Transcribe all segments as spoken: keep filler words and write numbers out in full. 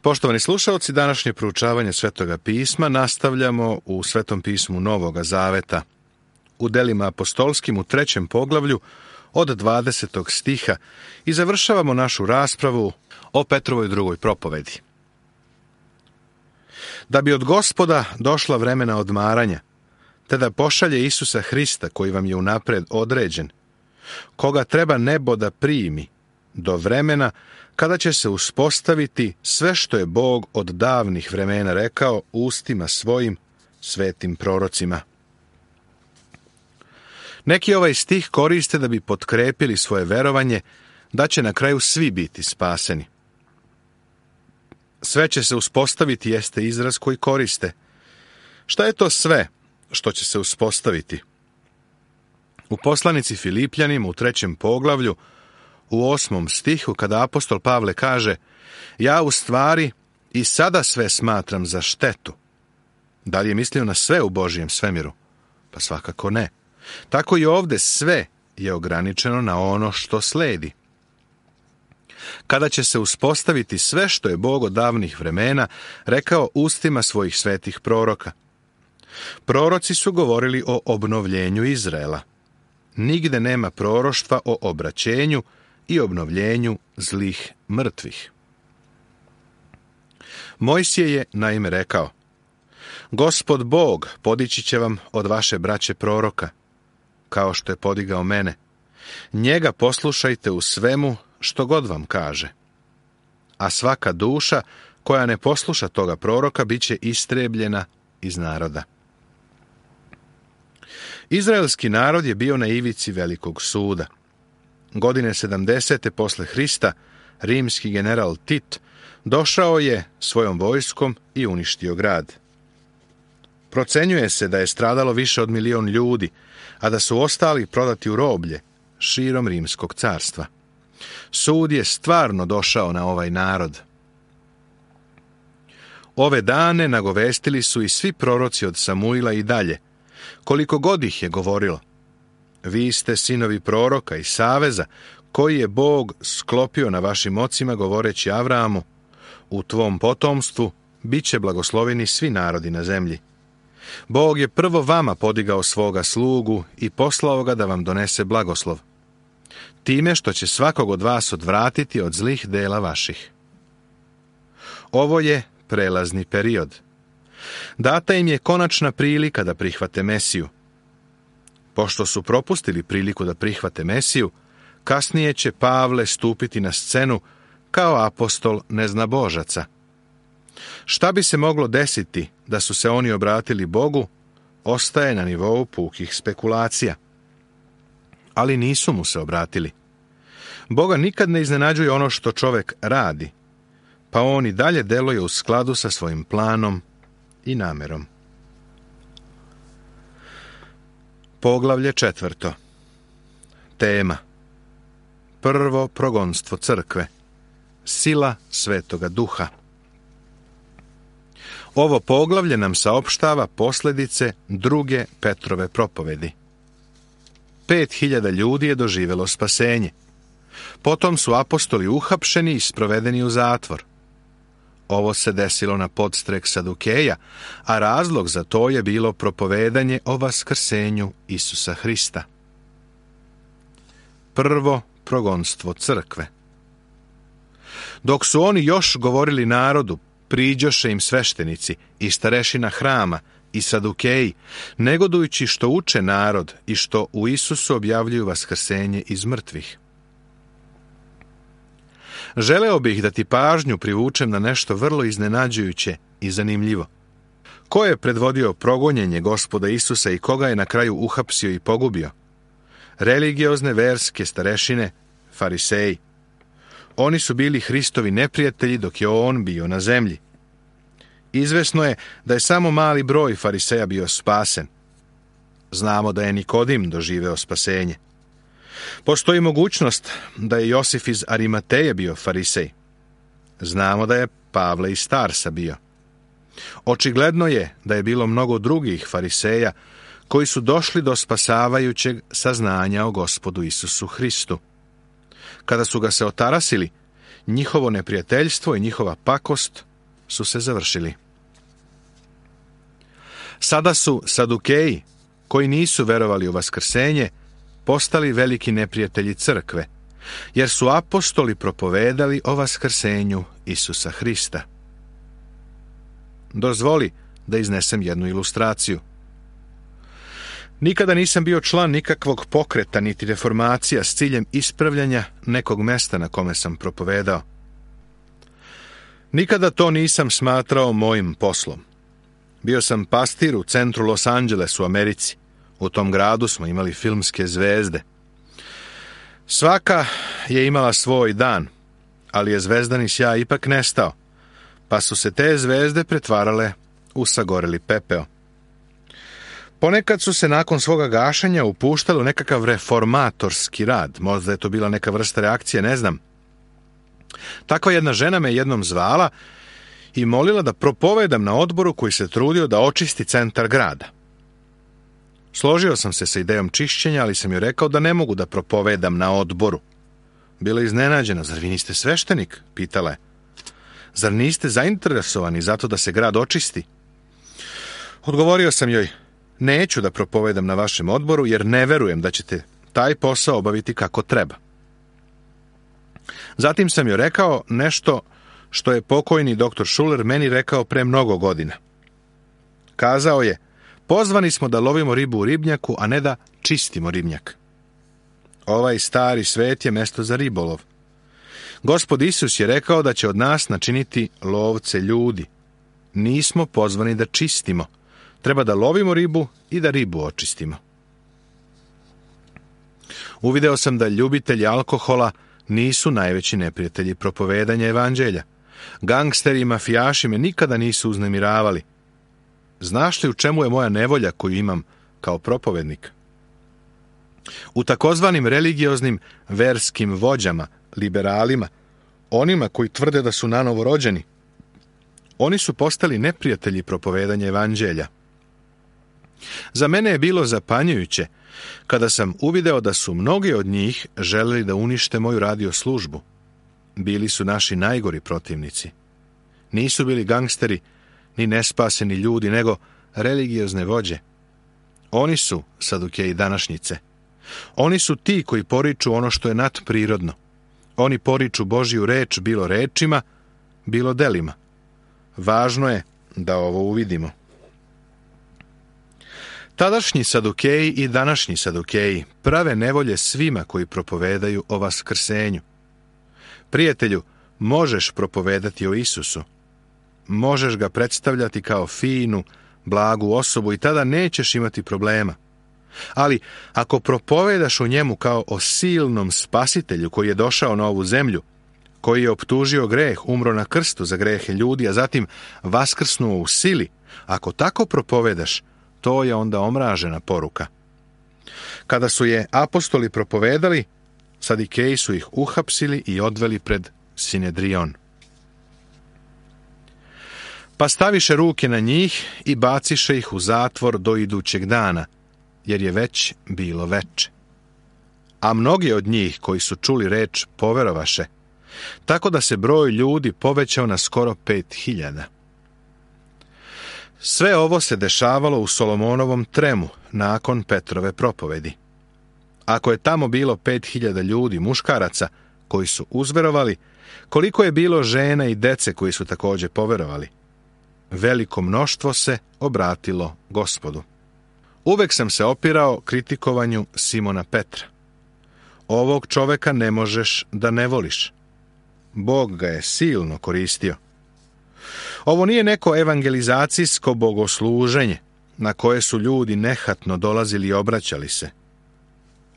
Poštovani slušalci, današnje proučavanje Svetoga pisma nastavljamo u Svetom pismu Novoga Zaveta. U delima apostolskim u trećem poglavlju od dvadesetog stiha i završavamo našu raspravu o Petrovoj drugoj propovedi. Da bi od Gospoda došla vremena odmaranja, te da pošalje Isusa Hrista koji vam je unapred određen, koga treba nebo da primi, do vremena kada će se uspostaviti sve što je Bog od davnih vremena rekao ustima svojim svetim prorocima. Neki ovaj stih koriste da bi potkrepili svoje verovanje da će na kraju svi biti spaseni. Sve će se uspostaviti jeste izraz koji koriste. Šta je to sve što će se uspostaviti? U poslanici Filipljanima u trećem poglavlju u osmom stihu, kada apostol Pavle kaže: ja u stvari i sada sve smatram za štetu. Da li je mislio na sve u Božijem svemiru? Pa svakako ne. Tako i ovdje sve je ograničeno na ono što sledi. Kada će se uspostaviti sve što je Bog od davnih vremena rekao ustima svojih svetih proroka. Proroci su govorili o obnovljenju Izraela. Nigde nema proroštva o obraćenju i obnovljenju zlih mrtvih. Mojsije je naime rekao: Gospod Bog podići će vam od vaše braće proroka, kao što je podigao mene. Njega poslušajte u svemu što god vam kaže. A svaka duša koja ne posluša toga proroka bit će istrebljena iz naroda. Izraelski narod je bio na ivici velikog suda. Godine sedamdesete posle Hrista rimski general Tit došao je svojom vojskom i uništio grad. Procenjuje se da je stradalo više od milion ljudi, a da su ostali prodati u roblje širom rimskog carstva. Sud je stvarno došao na ovaj narod. Ove dane nagovestili su i svi proroci od Samuila i dalje, koliko god ih je govorilo: vi ste sinovi proroka i saveza koji je Bog sklopio na vašim ocima, govoreći Avramu: u tvom potomstvu bit će blagosloveni svi narodi na zemlji. Bog je prvo vama podigao svoga slugu i poslao ga da vam donese blagoslov, time što će svakog od vas odvratiti od zlih dela vaših. Ovo je prelazni period. Data im je konačna prilika da prihvate Mesiju. Pošto su propustili priliku da prihvate Mesiju, kasnije će Pavle stupiti na scenu kao apostol neznabožaca. Šta bi se moglo desiti da su se oni obratili Bogu, ostaje na nivou pukih spekulacija. Ali nisu mu se obratili. Boga nikad ne iznenađuje ono što čovjek radi, pa on i dalje deluje u skladu sa svojim planom i namerom. Poglavlje četvrto. Tema: prvo progonstvo crkve. Sila Svetoga Duha. Ovo poglavlje nam saopštava posljedice druge Petrove propovedi. Pet hiljada ljudi je doživjelo spasenje. Potom su apostoli uhapšeni i sprovedeni u zatvor. Ovo se desilo na podstrek Sadukeja, a razlog za to je bilo propovedanje o vaskrsenju Isusa Hrista. Prvo progonstvo crkve. Dok su oni još govorili narodu, priđoše im sveštenici i starešina hrama i Sadukeji, negodujući što uče narod i što u Isusu objavljuju vaskrsenje iz mrtvih. Želeo bih da ti pažnju privučem na nešto vrlo iznenađujuće i zanimljivo. Ko je predvodio progonjenje Gospoda Isusa i koga je na kraju uhapsio i pogubio? Religiozne verske starešine, fariseji. Oni su bili Hristovi neprijatelji dok je on bio na zemlji. Izvesno je da je samo mali broj fariseja bio spasen. Znamo da je Nikodim doživeo spasenje. Postoji mogućnost da je Josif iz Arimateje bio farisej. Znamo da je Pavle iz Tarsa bio. Očigledno je da je bilo mnogo drugih fariseja koji su došli do spasavajućeg saznanja o Gospodu Isusu Hristu. Kada su ga se otarasili, njihovo neprijateljstvo i njihova pakost su se završili. Sada su Sadukeji, koji nisu verovali u vaskrsenje, postali veliki neprijatelji crkve, jer su apostoli propovedali o vaskrsenju Isusa Hrista. Dozvoli da iznesem jednu ilustraciju. Nikada nisam bio član nikakvog pokreta niti reformacija s ciljem ispravljanja nekog mesta na kome sam propovedao. Nikada to nisam smatrao mojim poslom. Bio sam pastir u centru Los Angelesu u Americi. U tom gradu smo imali filmske zvezde. Svaka je imala svoj dan, ali je zvezdani sjaj ipak nestao, pa su se te zvezde pretvarale u sagoreli pepeo. Ponekad su se nakon svoga gašenja upuštali u nekakav reformatorski rad, možda je to bila neka vrsta reakcije, ne znam. Takva jedna žena me jednom zvala i molila da propovedam na odboru koji se trudio da očisti centar grada. Složio sam se sa idejom čišćenja, ali sam joj rekao da ne mogu da propovedam na odboru. Bila je iznenađena. Zar vi niste sveštenik? Pitala je. Zar niste zainteresovani zato da se grad očisti? Odgovorio sam joj, neću da propovedam na vašem odboru jer ne verujem da ćete taj posao obaviti kako treba. Zatim sam joj rekao nešto što je pokojni doktor Schuller meni rekao pre mnogo godina. Kazao je, pozvani smo da lovimo ribu u ribnjaku, a ne da čistimo ribnjak. Ovaj stari svet je mesto za ribolov. Gospod Isus je rekao da će od nas načiniti lovce ljudi. Nismo pozvani da čistimo. Treba da lovimo ribu i da ribu očistimo. Uvideo sam da ljubitelji alkohola nisu najveći neprijatelji propovedanja evanđelja. Gangsteri i mafijaši me nikada nisu uznemiravali. Znaš li u čemu je moja nevolja koju imam kao propovednik? U takozvanim religioznim verskim vođama, liberalima, onima koji tvrde da su nanovo rođeni, oni su postali neprijatelji propovedanja evanđelja. Za mene je bilo zapanjujuće kada sam uvideo da su mnogi od njih želeli da unište moju radio službu. Bili su naši najgori protivnici. Nisu bili gangsteri, ni nespaseni ljudi, nego religiozne vođe. Oni su Sadukeji današnjice. Oni su ti koji poriču ono što je nadprirodno. Oni poriču Božju reč bilo rečima, bilo delima. Važno je da ovo uvidimo. Tadašnji Sadukeji i današnji Sadukeji prave nevolje svima koji propovedaju o vaskrsenju. Prijatelju, možeš propovedati o Isusu. Možeš ga predstavljati kao finu, blagu osobu i tada nećeš imati problema. Ali ako propovedaš o njemu kao o silnom spasitelju koji je došao na ovu zemlju, koji je optužio greh, umro na krstu za grehe ljudi, a zatim vaskrsnuo u sili, ako tako propovedaš, to je onda omražena poruka. Kada su je apostoli propovedali, Sadikeji su ih uhapsili i odveli pred Sinedrion. Pa staviše ruke na njih i baciše ih u zatvor do idućeg dana, jer je već bilo veče. A mnogi od njih koji su čuli reč poverovaše, tako da se broj ljudi povećao na skoro pet hiljada. Sve ovo se dešavalo u Solomonovom tremu nakon Petrove propovedi. Ako je tamo bilo pet hiljada ljudi, muškaraca, koji su uzverovali, koliko je bilo žena i dece koji su također poverovali? Veliko mnoštvo se obratilo Gospodu. Uvek sam se opirao kritikovanju Simona Petra. Ovog čoveka ne možeš da ne voliš. Bog ga je silno koristio. Ovo nije neko evangelizacijsko bogosluženje na koje su ljudi nehatno dolazili i obraćali se.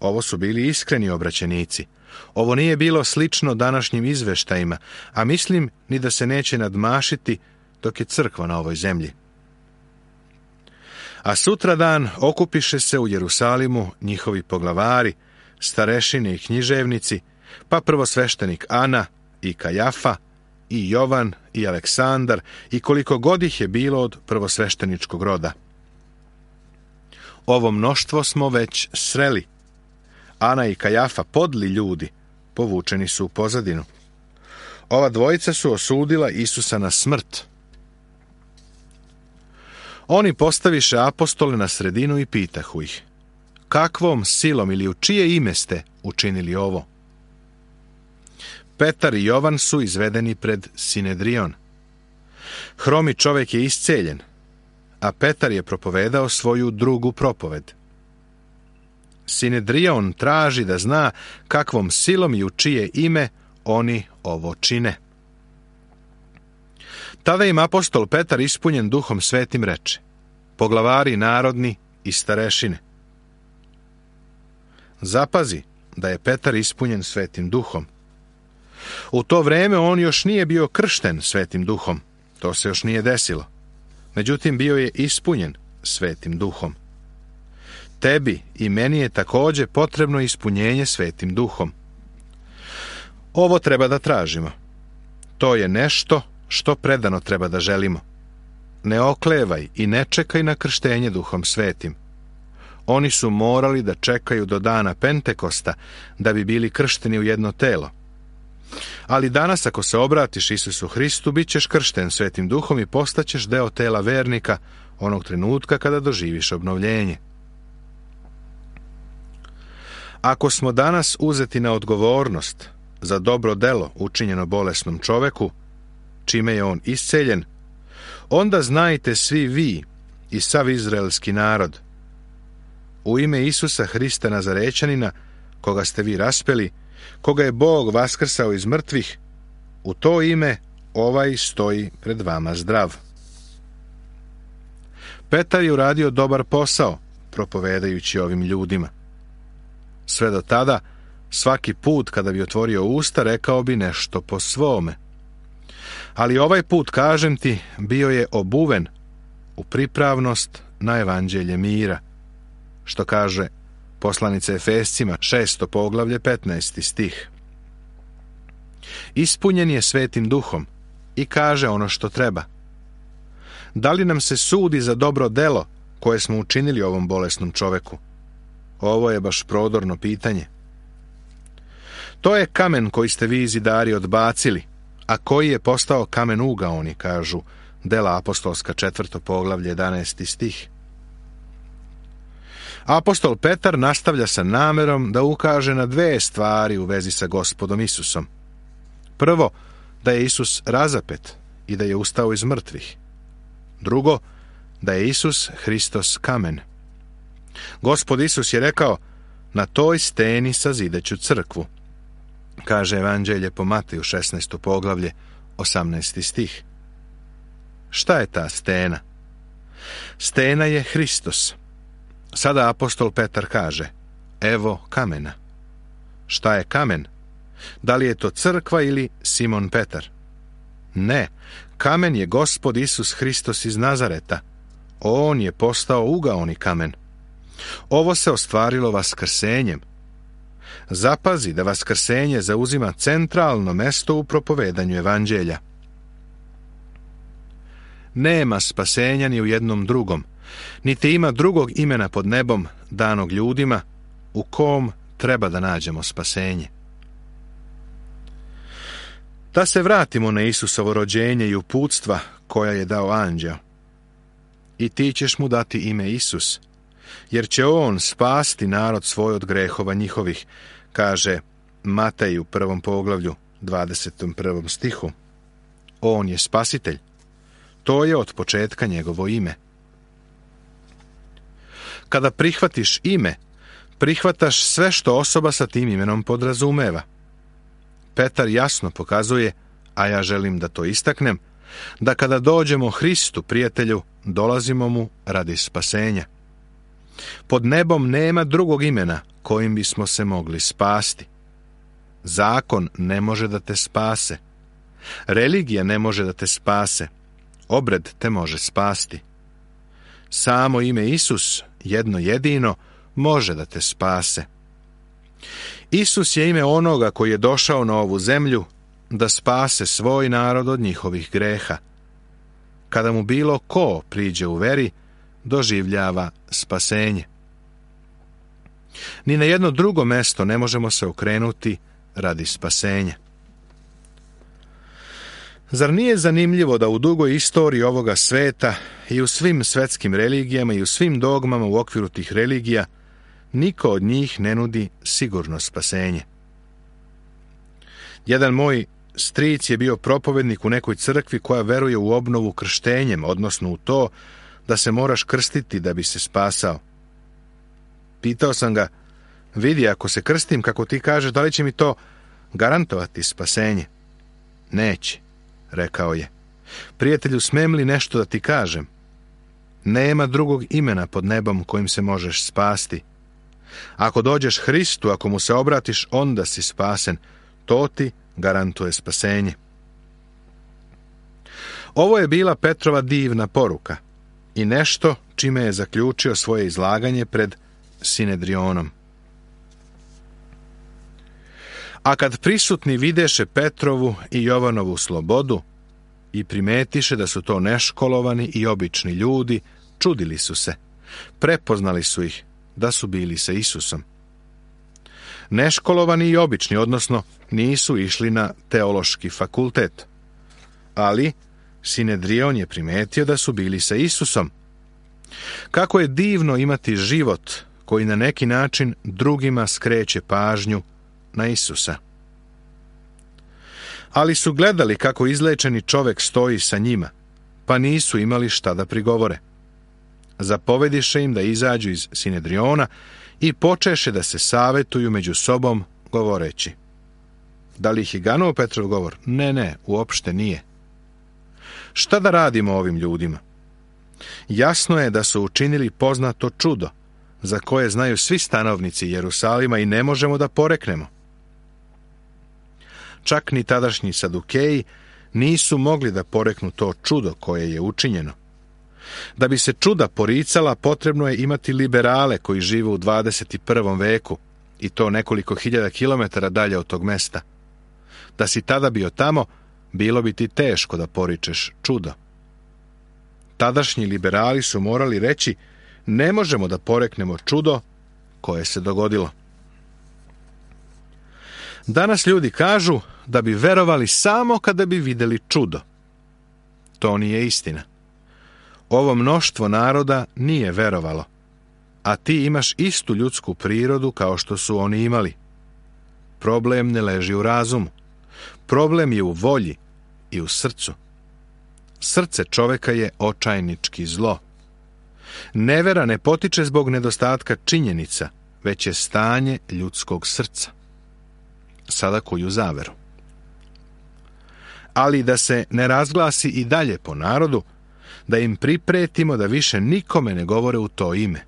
Ovo su bili iskreni obraćenici. Ovo nije bilo slično današnjim izveštajima, a mislim ni da se neće nadmašiti dok je crkva na ovoj zemlji. A sutradan okupiše se u Jerusalimu njihovi poglavari, starešine i književnici, pa prvosveštenik Ana i Kajafa, i Jovan i Aleksandar, i koliko god ih je bilo od prvosvešteničkog roda. Ovo mnoštvo smo već sreli. Ana i Kajafa, podli ljudi, povučeni su u pozadinu. Ova dvojica su osudila Isusa na smrt, Oni postaviše apostole na sredinu i pitahu ih: kakvom silom ili u čije ime ste učinili ovo? Petar i Jovan su izvedeni pred Sinedrion. Hromi čovjek je isceljen, a Petar je propovedao svoju drugu propoved. Sinedrion traži da zna kakvom silom i u čije ime oni ovo čine. Tada im apostol Petar, ispunjen Duhom Svetim, reče: poglavari narodni i starešine. Zapazi da je Petar ispunjen Svetim Duhom. U to vreme on još nije bio kršten Svetim Duhom, to se još nije desilo. Međutim, bio je ispunjen Svetim Duhom. Tebi i meni je također potrebno ispunjenje Svetim Duhom. Ovo treba da tražimo. To je nešto što predano treba da želimo. Ne oklevaj i ne čekaj na krštenje Duhom Svetim. Oni su morali da čekaju do dana Pentekosta da bi bili kršteni u jedno telo. Ali danas, ako se obratiš Isusu Hristu, bit ćeš kršten Svetim Duhom i postaćeš deo tela vernika onog trenutka kada doživiš obnovljenje. Ako smo danas uzeti na odgovornost za dobro delo učinjeno bolesnom čoveku, čime je on isceljen, onda znajte svi vi i sav izraelski narod: u ime Isusa Hrista Nazarećanina, koga ste vi raspeli, koga je Bog vaskrsao iz mrtvih, u to ime ovaj stoji pred vama zdrav. Petar je uradio dobar posao propovedajući ovim ljudima. Sve do tada, svaki put kada bi otvorio usta, rekao bi nešto po svome. Ali ovaj put, kažem ti, bio je obuven u pripravnost na evanđelje mira, što kaže poslanica Efescima, šesto poglavlje, petnaesti stih. Ispunjen je Svetim Duhom i kaže ono što treba. Da li nam se sudi za dobro delo koje smo učinili ovom bolesnom čoveku? Ovo je baš prodorno pitanje. To je kamen koji ste vi zidari odbacili, a koji je postao kamen ugaoni, kažu Dela apostolska, četvrto poglavlje, jedanaesti stih. Apostol Petar nastavlja sa namerom da ukaže na dve stvari u vezi sa Gospodom Isusom. Prvo, da je Isus razapet i da je ustao iz mrtvih. Drugo, da je Isus Hristos kamen. Gospod Isus je rekao: na toj steni sazideću crkvu, kaže Evanđelje po Mateju, šesnaesto poglavlje, osamnaesti stih. Šta je ta stena? Stena je Hristos. Sada apostol Petar kaže: evo kamena. Šta je kamen? Da li je to crkva ili Simon Petar? Ne, kamen je Gospod Isus Hristos iz Nazareta. On je postao ugaoni kamen. Ovo se ostvarilo vaskrsenjem. Zapazi da vaskrsenje zauzima centralno mesto u propovedanju evanđelja. Nema spasenja ni u jednom drugom, niti ima drugog imena pod nebom danog ljudima u kom treba da nađemo spasenje. Da se vratimo na Isusovo rođenje i uputstva koja je dao anđeo. I ti ćeš mu dati ime Isus, jer će on spasti narod svoj od grehova njihovih, kaže Matej u prvom poglavlju, dvadesetom prvom stihu. On je spasitelj. To je od početka njegovo ime. Kada prihvatiš ime, prihvataš sve što osoba sa tim imenom podrazumeva. Petar jasno pokazuje, a ja želim da to istaknem, da kada dođemo Hristu, prijatelju, dolazimo mu radi spasenja. Pod nebom nema drugog imena kojim bismo se mogli spasti. Zakon ne može da te spase. Religija ne može da te spase. Obred te može spasti. Samo ime Isus, jedno jedino, može da te spase. Isus je ime onoga koji je došao na ovu zemlju da spase svoj narod od njihovih greha. Kada mu bilo ko priđe u veri, doživljava spasenje. Ni na jedno drugo mesto ne možemo se okrenuti radi spasenja. Zar nije zanimljivo da u dugoj istoriji ovoga sveta i u svim svetskim religijama i u svim dogmama u okviru tih religija niko od njih ne nudi sigurno spasenje? Jedan moj stric je bio propovednik u nekoj crkvi koja veruje u obnovu krštenjem, odnosno u to da se moraš krstiti da bi se spasao. Pitao sam ga, vidi, ako se krstim kako ti kažeš, da li će mi to garantovati spasenje? Neće, rekao je. Prijatelju, smem li nešto da ti kažem? Nema drugog imena pod nebom kojim se možeš spasti. Ako dođeš Hristu, ako mu se obratiš, onda si spasen. To ti garantuje spasenje. Ovo je bila Petrova divna poruka i nešto čime je zaključio svoje izlaganje pred Sinedrionom. A kad prisutni videše Petrovu i Jovanovu slobodu i primetiše da su to neškolovani i obični ljudi, čudili su se. Prepoznali su ih da su bili sa Isusom. Neškolovani i obični, odnosno nisu išli na teološki fakultet. Ali Sinedrion je primetio da su bili sa Isusom. Kako je divno imati život koji na neki način drugima skreće pažnju na Isusa. Ali su gledali kako izlečeni čovek stoji sa njima, pa nisu imali šta da prigovore. Zapovediše im da izađu iz Sinedriona i počeše da se savetuju među sobom, govoreći. Da li ih je ganuo Petrov govor? Ne, ne, uopšte nije. Šta da radimo ovim ljudima? Jasno je da su učinili poznato čudo, za koje znaju svi stanovnici Jerusalima i ne možemo da poreknemo. Čak ni tadašnji Sadukeji nisu mogli da poreknu to čudo koje je učinjeno. Da bi se čuda poricala, potrebno je imati liberale koji žive u dvadeset prvom veku, i to nekoliko hiljada kilometara dalje od tog mesta. Da si tada bio tamo, bilo bi ti teško da poričeš čudo. Tadašnji liberali su morali reći, ne možemo da poreknemo čudo koje se dogodilo. Danas ljudi kažu da bi verovali samo kada bi vidjeli čudo. To nije istina. Ovo mnoštvo naroda nije verovalo, a ti imaš istu ljudsku prirodu kao što su oni imali. Problem ne leži u razumu. Problem je u volji i u srcu. Srce čoveka je očajnički zlo. Nevera ne potiče zbog nedostatka činjenica, već je stanje ljudskog srca. Sada kuju zaveru. Ali da se ne razglasi i dalje po narodu, da im pripretimo da više nikome ne govore u to ime.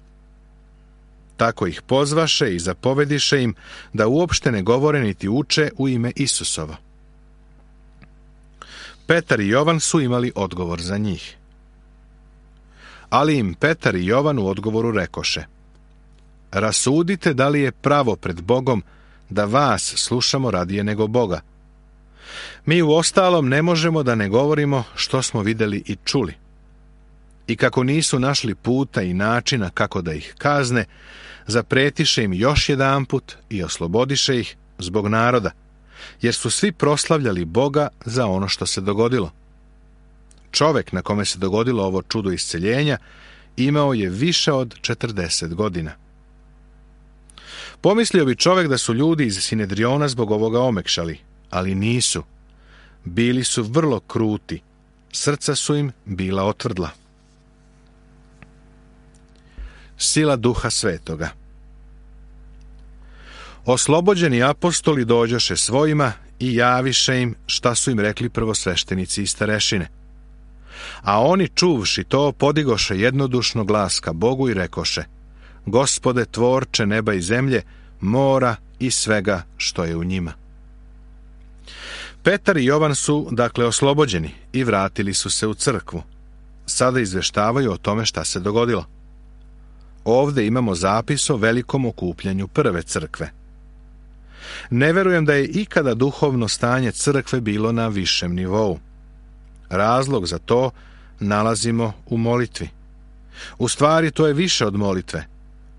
Tako ih pozvaše i zapovediše im da uopšte ne govore niti uče u ime Isusovo. Petar i Jovan su imali odgovor za njih. Ali im Petar i Jovan u odgovoru rekoše: rasudite da li je pravo pred Bogom da vas slušamo radije nego Boga. Mi u ostalom ne možemo da ne govorimo što smo vidjeli i čuli. I kako nisu našli puta i načina kako da ih kazne, zapretiše im još jedanput i oslobodiše ih zbog naroda, jer su svi proslavljali Boga za ono što se dogodilo. Čovek na kome se dogodilo ovo čudo isceljenja imao je više od četrdeset godina. Pomislio bi čovek da su ljudi iz Sinedriona zbog ovoga omekšali, ali nisu. Bili su vrlo kruti, srca su im bila otvrdla. Sila Duha Svetoga. Oslobođeni apostoli dođoše svojima i javiše im šta su im rekli prvosveštenici i starešine. A oni, čuvši to, podigoše jednodušno glas ka Bogu i rekoše: Gospode, tvorče neba i zemlje, mora i svega što je u njima. Petar i Jovan su, dakle, oslobođeni i vratili su se u crkvu. Sada izveštavaju o tome šta se dogodilo. Ovde imamo zapis o velikom okupljanju prve crkve. Ne verujem da je ikada duhovno stanje crkve bilo na višem nivou. Razlog za to nalazimo u molitvi. U stvari, to je više od molitve.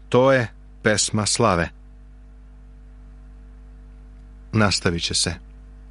To je pesma slave. Nastavit će se.